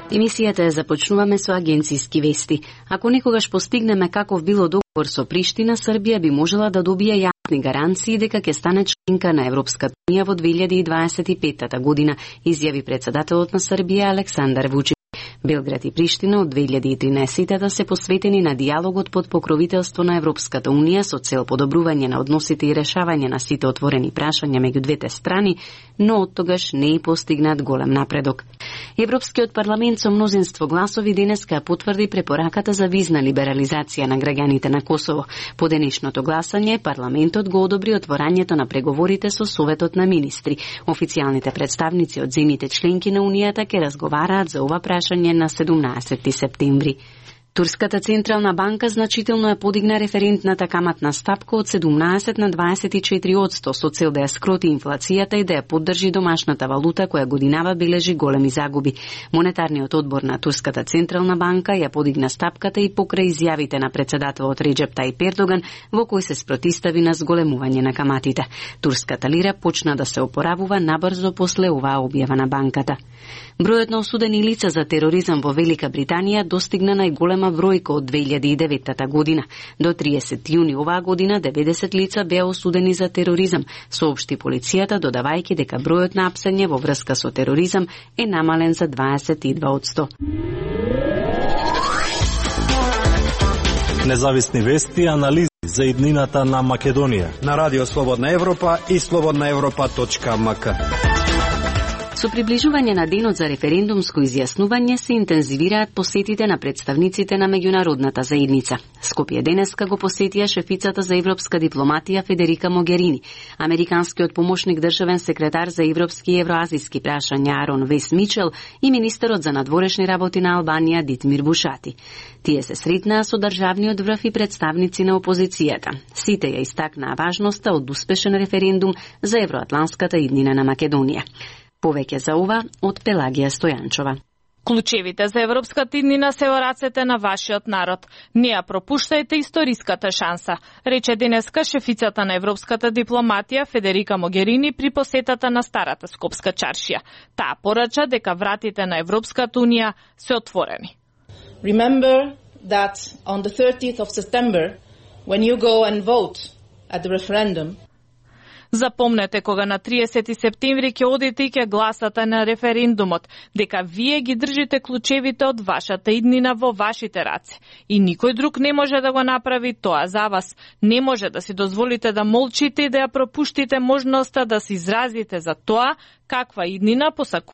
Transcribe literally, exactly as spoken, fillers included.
Емисијата ја започнуваме со агенцијски вести. Ако некогаш постигнеме каков било договор со Приштина, Србија би можела да добие јасни гаранции дека ќе стане членка на Европската унија во две илјади дваесет и петта година, изјави председателот на Србија Александар Вучич. Белград и Приштина од две илјади и тринаесетта се посветени на диалогот под покровителство на Европската унија со цел подобрување на односите и решавање на сите отворени прашања меѓу двете страни, но од тогаш не е постигнат голем напредок. Европскиот парламент со мнозинство гласови денеска потврди препораката за визна либерализација на граѓаните на Косово. По денешното гласање, парламентот го одобри отворањето на преговорите со Советот на министри. Официјалните представници од земјите членки на Унијата ќе разговараат за ова прашање на седумнаесети септември. Турската централна банка значително ја подигна референтната каматна стапка од седумнаесет на дваесет и четири одсто со цел да ја скроти инфлацијата и да ја поддржи домашната валута која годинава бележи големи загуби. Монетарниот одбор на Турската централна банка ја подигна стапката и покрај изјавите на председателот Реџеп Тајип Ердоган во кој се спротистави на зголемување на каматите. Турската лира почна да се опоравува набрзо после оваа објава на банката. Бројот на осудени лица за тероризам во Велика Британија достигна најголема бројка од две илјади и деветта година. До триесети јуни оваа година деветдесет лица беа осудени за тероризам, соопшти полицијата, додавајќи дека бројот на апсење во врска со тероризам е намален за дваесет и два одсто. Независни вести и анализи за иднината на Македонија на Радио Слободна Европа и слободна европа точка ем ка. Со приближување на денот за референдумско изјаснување се интензивираат посетите на представниците на меѓународната заедница. Скопје денеска го посетија шефицата за европска дипломатија Федерика Могерини, американскиот помошник државен секретар за европски и евроазиски прашања Арон Вес Мичел и министерот за надворешни работи на Албанија Дитмир Бушати. Тие се сретнаа со државниот врв и представници на опозицијата. Сите ја истакнаа важноста од успешен референдум за евроатланската иднина на Македонија. Повеќе за ова од Пелагија Стојанчова. Клучевите за европската иднина се во рацете на вашиот народ. Не ја пропуштајте историската шанса, рече денеска шефицата на европската дипломатија Федерика Могерини при посетата на старата Скопска чаршија. Таа порача дека вратите на Европската унија се отворени. Remember that on the thirtieth of September, when you go and vote at the referendum, запомнете кога на триесети септември ќе одите и ќе гласате на референдумот, дека вие ги држите клучевите од вашата иднина во вашите раце. И никој друг не може да го направи тоа за вас. Не може да си дозволите да молчите и да ја пропуштите можноста да се изразите за тоа каква иднина посакувате